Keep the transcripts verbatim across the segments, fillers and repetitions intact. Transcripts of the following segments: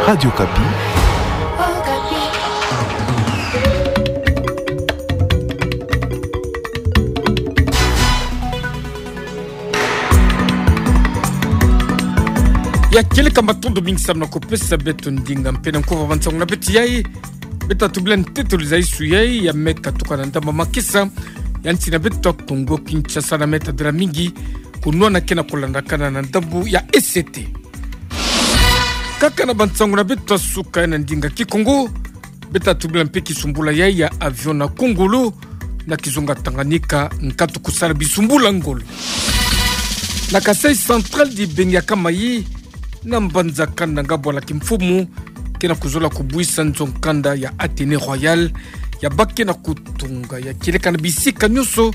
Radio Okapi. Ya kieleka, matondo mingi samu na kupesa beto ndinga mpe na nkuba bansango na beto yai. Beta tubila ntetolo zaisu yai ya me katuka na ndambu ya makesa ya nsi na beto Kongo Kinshasa na me tadila mingi kunwana ke na kulandakana na ndambu ya E C T. Kaka na bansango na beto ya suka na ndinga Kikongo, beta tubila mpe kisumbula yai ya avion na Kongolo, na kizunga Tanganyika, nkatu kusala bisumbula ngolo. Na Kasaï Central, dibeni ya kama yi na mbanza kanda nga bwala kimfumu ke na kuzola kubuisa nzo-nkanda ya Athénée Royal, ya ba ke na kutunga ya kieleka na bisika nyonso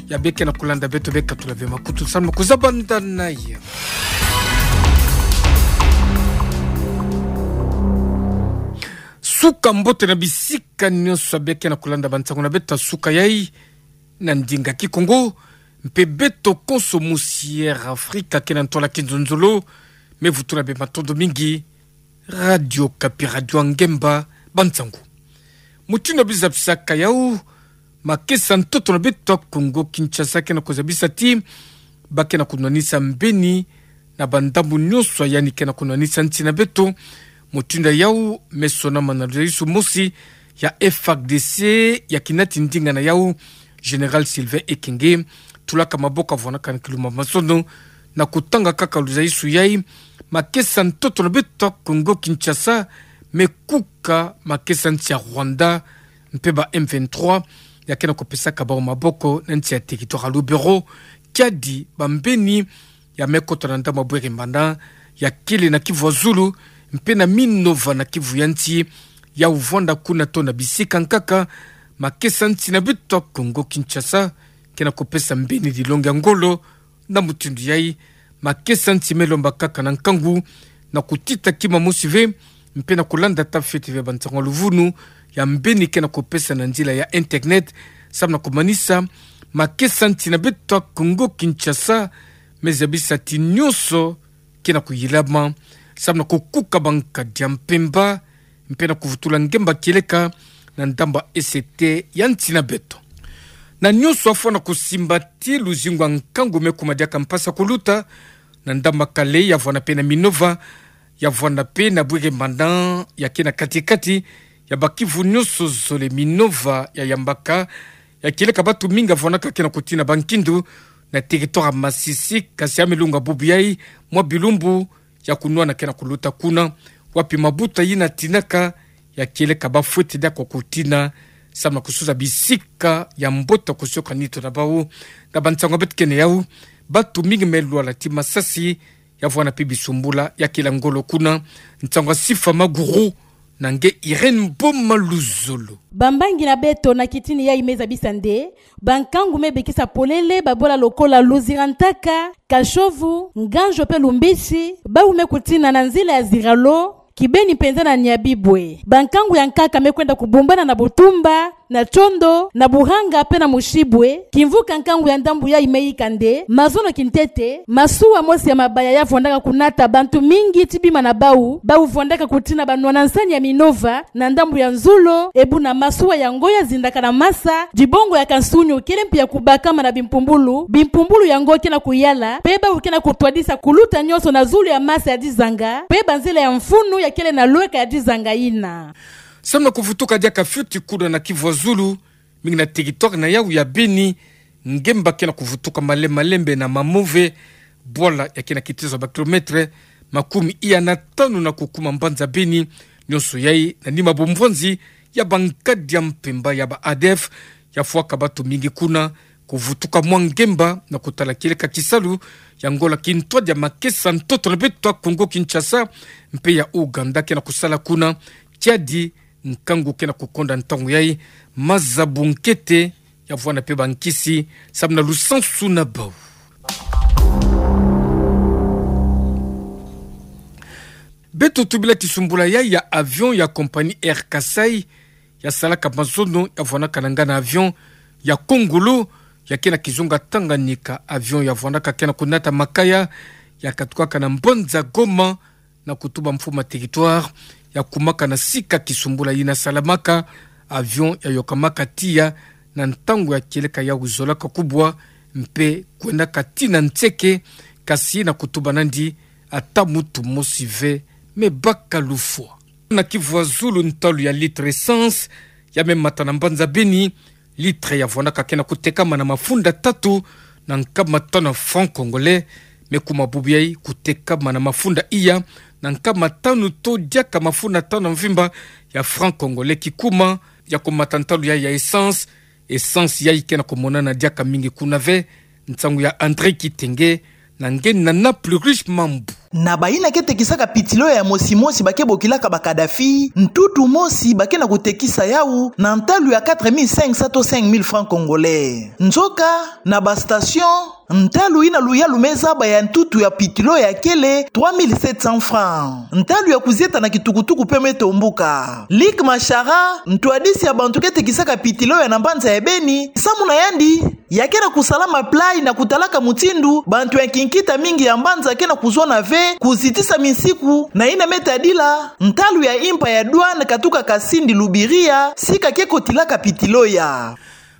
ya be ke na kulanda beto, be katula ve makutu samu na kuzaba ndana ya suka mbote na bisika nyonso ya be ke na kulanda bansango na beto ya suka yai na ndinga Kikongo, mpe beto konso musi Air Afrika ke na ntwala kinzonzolo, me vutula bê matondo mingi. Radio Okapi, radio ya ngemba, bansango. Mutindu ya bizabisaka yau, makesa ntoto na beto Kongo Kinshasa ke na kuzabisa ti ba ke na kunwanisa mbeni na bandambu nyonso ya yandi ke na kunwanisa nsi na beto. Mutindu yau me sonama na luzaisu mosi ya F A R D C ya kinati ndinga na yau, Général Sylvain Ekenge, tulaka maboko avwanaka na kilumbu ya mazono, na kutanga kaka luzaisu yai: makesa ntoto na beto Kongo Kinshasa me kuka makesa nsi ya Rwanda mpe ba M vingt-trois ya ke na kupesaka bau maboko na nsi ya territoire ya Lubero. Kiadi bambeni ya me kota na ndambu ya Bwere-Mbanda, ya kele na kivu ya zulu, mpe na Minova na kivu ya nsi, yau vwanda kuna to na bisika nkaka, makesa nsi na beto Kongo Kinshasa ke na kupesa mbeni dilongi ya ngolo. Na mutindu yai, makesa nsi me lomba kaka na nkangu na kutita kima mosi ve, mpe na kulanda ata fioti ve bansango ya luvunu ya mbeni ke na kupesa na nzila ya internet, samu na kumanisa makesa nsi na beto Kongo Kinshasa. Me zabisa ti nyonso ke na kuyilama samu na kukuka bankadi ya mpemba, mpe na kuvutula ngemba kieleka na ndambu ya E C T ya nsi na beto. Na nyonso afwana kusimba ti luzingu ya nkangu me kuma diaka mpasi ya kuluta na ndambu ya Kale, ya vwanda mpe na Minova, ya vwanda mpe na Bwere-Mbanda ya ke na kati-kati ya bakivu nyonso zole. Minova ya yambaka, ya kieleka batu mingi ya vwandaka ke na kutina bankindu na territoire ya Masisi, kasi ya me lunga bubu yai mwa bilumbu ya kunwana ke na kuluta kuna, wapi mabuta yina tinaka, ya kieleka bafweti diaka kutina samu na kusuza bisika ya mbote kusioka nitu na bau. Na bansango ya beto kena yau, batu mingi me lwala ti masasi, ya vwanda mpe bisumbula ya kila ngolo kuna. Nsango ya Sifa Maguru na nge Irène Boma Luzolo. Bambangi na beto na kitini yai me zabisa nde bankangu me bikisa polele babola lokola Luzira-Ntaka, Kashovu, Nganjo mpe Lumbisi, bau me kutina na nzila ya Ziralo, kibeni mpenza na Nyabibwe. Bankangu ya nkaka me kwenda kubumbana na Butumba, na Tchondo, na Buhanga mpe na Mushibwe. Kimvuka nkangu ya ndambu yai me yika nde mazono kintete, masuwa mosi ya mabaya ya vwandaka kunata bantu mingi ti bima na bau, bau vwandaka kutina banwana nsani ya Minova na ndambu ya nzulu, e buna masuwa yango ya zindaka na masa, dibongo ya kansunyu kele mpe ya kubakama na bimpumbulu, bimpumbulu yango ke na kuyala, mpe bau ke na kutwadisa kuluta nyonso na zulu ya masa ya dizanga, mpe banzila ya mfunu ya kele na lweka ya dizanga yina. Samu na kuvutuka diaka fioti kuna na kivu ya zulu, mingi na territoire na yau ya Beni, ngemba ke na kuvutuka malembe-malembe na Mamove, bwala ya ke na kitezo ya ba kilomètre makumi iya na tanu na kukuma mbanza Beni. Nyonso yai na nima bomvwanzi ya bankadi ya mpemba ya ba A D F, ya fwaka batu mingi kuna. Kuvutuka mwa ngemba na kutala kieleka kisalu ya ngola kintwadi ya makesa ntoto na beto Kongo Kinshasa mpe ya Ouganda ke na kusala kuna. Kiadi nkangu ke na kukonda ntangu yai, maza bunkete, ya vwanda mpe bankisi samu na lusansu na bau. Beto tubila kisumbula yai ya avion ya compagnie Air Kasaï, ya salaka mazono, ya vwandaka na ngana avion ya Kongolo, ya ke na kizunga Tanganyika. Avion ya vwandaka ke na kunata makaya, ya katukaka na mbanza Goma, Na kutuba mfumu ya territoire ya kumaka na sika kisumbula yina salamaka, avion ya yokamaka tiya na ntangu ya kieleka yau zolaka kubwa, mpe kwendaka tii na nseke, kasi na kutuba nandi ata mutu mosi ve me baka lufwa. Na Kivu ya Zulu, ntalu ya litre essence ya me mata na mbanza Beni, litre ya vwandaka ke na kutekama na mafunda tatu na nkama tanu ya francs congolais, me kuma bubu yai kutekama na mafunda iya na nkama tanu to diaka mafunda tanu ya mvimba ya francs congolais. Kikuma ya kumata ntalu yai ya essence, essence yai ke na kumonana diaka mingi kuna ve. Nsangu ya André Kitenge, na nge na Naples Riche Mambu. Na bayina ke tekisaka pitilo ya mosi mosi ba ke bokilaka ba Kadhafi, ntutu mosi ba ke na kutekisa yau na ntalu ya quatre mille cinq cents to cinq mille francs congolais. Nzoka, na ba station, ntalu yina luyalu me zaba ya ntutu ya pitilo ya kele trois mille sept cents francs. Ntalu ya kuzieta na kitukutuku pe me tombuka. Luc Mashara, ntwadisi ya bantu ke tekisaka pitilo ya na mbanza ya Beni, samu na yandi, ya ke na kusalama plat na kutalaka mutindu bantu ya kinkita mingi ya mbanza ke na kuzona ve kuzitisa misiku, na yina me tadila ntalu ya impa ya douane katuka Kasindi Lubiriha, sika ke kotilaka pitilo ya.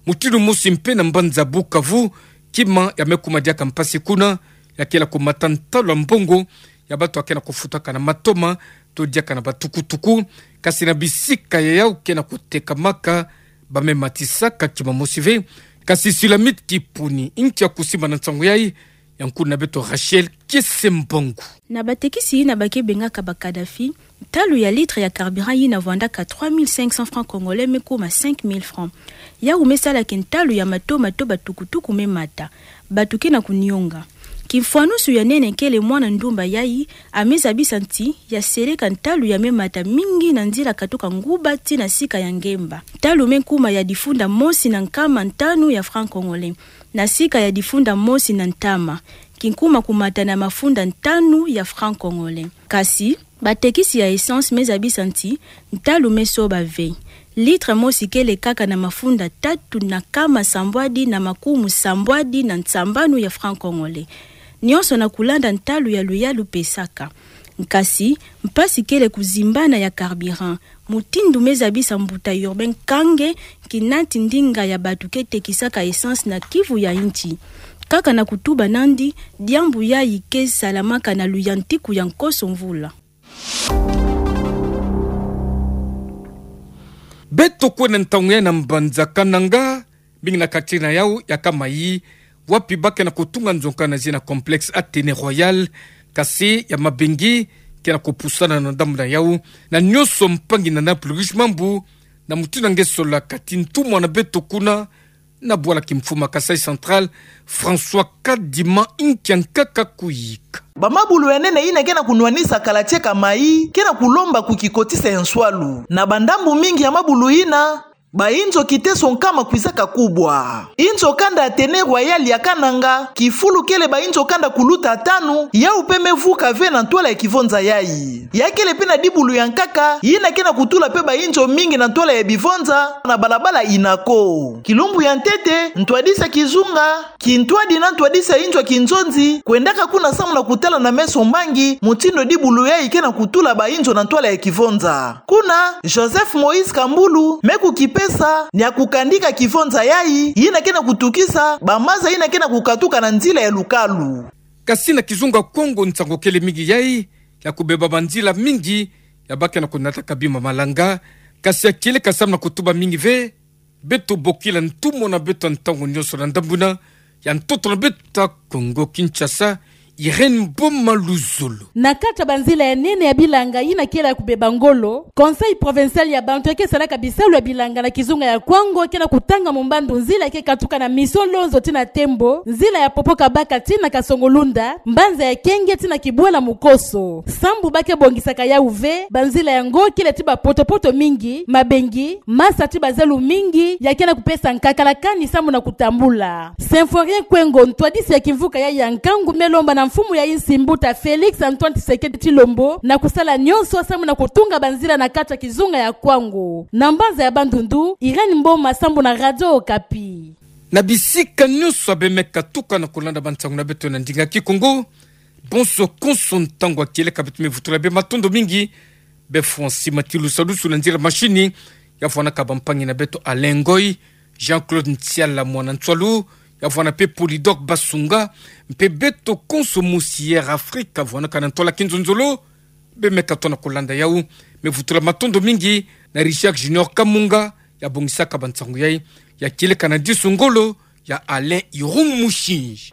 Mutindu mosi mpe na mbanza Bukavu, kima ya me kuma diaka mpasi kuna, ya kele kumata ntalu ya mbongo ya bantu ya ke na kufutaka na matoma to diaka na batukutuku, kasi na bisika ya yau ke na kutekamaka ba me matisaka kima mosi ve. Kasi Sulamite Kipuni, inki ya kusimba na nsangu yai, ya nkuna na beto Rachel Kiese Mbangu. Na batekisi yina ba ke bengaka ba Kadhafi, ntalu ya litre ya carburant yina vwandaka trois mille cinq cents francs congolais me kuma cinq mille francs. Yau me sala ke ntalu ya matoma to batukutuku me mata, bantu ke na kunionga. Kimfwanusu ya nene kele mwana ndumba yai a me zabisa nti ya seleka ntalu ya me mata mingi na nzila katuka Nguba tii na sika ya Ngemba. Ntalu me kuma ya difunda mosi na nkama tanu ya francs congolais, na sika ya difunda mosi na ntama, kinkuma kumata na mafunda tanu ya francs congolais. Kasi, batekisi ya essence me zabisa nti ntalu me soba ve. Litre mosi kele kaka na mafunda tatu na nkama sambwadi na makumu sambwadi na nsambanu ya francs congolais. Nionso na kulanda ntalu ya luyalu pesaka. Kasi, mpasi kele kuzimbana ya carburant, mutindu me zabisa mbuta Urbain Kange, kinati ndinga ya bantu ke tekisaka essence na Kivu ya Nti. Kaka na kutuba nandi, diambu yai ke salamaka na luyantiku ya nkoso mvula. Beto kwenda ntangu yai na mbanza Kananga, mingi na kati na yau ya kama yi, wapi ba ke na kutunga nzonka na zina complexe Athénée Royal, kasi ya mabengi ke na kupusana na ndambu na yau, na nionso mpangi na Naples Riche Mambu, na mutindu nge sola kati ntumwa na beto kuna, na bwala kimfuma Kasaï Central, François Kadima, inki ya nkaka kuyika. Ba mabulu ya nene yina ke na kunwanisa kala tieka mayi, ke na kulomba kukikotisa ya nswalu. Na bandambu mingi ya mabulu yina, ba inzo kiteso nkama kwizaka kubwa. Inzo kanda Athénée Royal ya Kananga, kifulu kele ba inzo kanda kuluta tanu, yau pe me vuka ve na ntwala ya kivonza yai. Ya kele pe na dibulu ya nkaka, yina ke na kutula pe ba inzo mingi na ntwala ya bivonza, na balabala Inaco. Kilumbu ya ntete, ntwadisi ya kizunga, kintwadi na ntwadisi ya inzo ya kinzonzi, kwendaka kuna samu na kutala na meso mbangi, mutindu dibulu yai ke na kutula ba inzo na ntwala ya kivonza. Kuna, Joseph Moïse Kambulu, me kukipesa, ni ya kukandika kivonza yai, yina ke na kutukisa, ba maza yina ke na kukatuka na nzila ya lukalu. Kasi na kizunga Kongo nsangu kele mingi yai, ya kubeba banzila mingi, ya ba ke na kunataka bima malanga, kasi ya kieleka samu na kutuba mingi ve, beto bokila ntumwa na beto ntangu nionso na ndambu na, ya ntoto na beto Kongo Kinshasa, Irène Mboma Luzolo. Na kati ya banzila ya nene ya bilanga yina kele ya kubeba ngolo, Conseil provincial ya bantu ya ke salaka bisalu ya bilanga na kizunga ya Kwango ke na kutanga mumbandu nzila ya ke katuka na Mission Lonzo tii na Tembo, nzila ya Popo Kabaka tii na Kasongo Lunda, mbanza ya Kenge tii na Kibwela Mukoso. Sambu ba ke bongisaka yau ve, banzila yango kele tii ba poto-poto mingi, mabengi, masa tii ba zelu mingi, ya ke na kupesa nkakala kani samu na kutambula. Symphorien Kwengo, ntwadisi ya kimvuka yai ya nkangu, me lomba na mfumu ya insi mbuta Félix Antoine Tshisekedi Tshilombo, na kusala nionso samu na kutunga banzila na kati ya kizunga ya Kwango. Na mbanza ya Bandundu, Irène Mboma Sambu na Radio Okapi. Na bisika nionso ya be me katuka na kulanda bansangu na beto na ndinga Kikongo, Bonso konso ntangu ya kieleka beto, me vutula bie matondo mingi. Bie Francis Matilu Salusu na nzila mashini, ya vwanaka bampangi na beto Alain Ngoy, Jean-Claude Ntiala mwana Ntsualu, ya vwana pe Polydor Basunga, mpe beto konso mosi Air Afrique ya vwanaka na ntwala kinzonzolo. Bie me ka tona kolanda yau, me vutula matondo mingi na Richard Junior Kamunga, ya bongisaka bansangu yai, ya kieleka na disu ngolo ya Alain Irung Mushinji.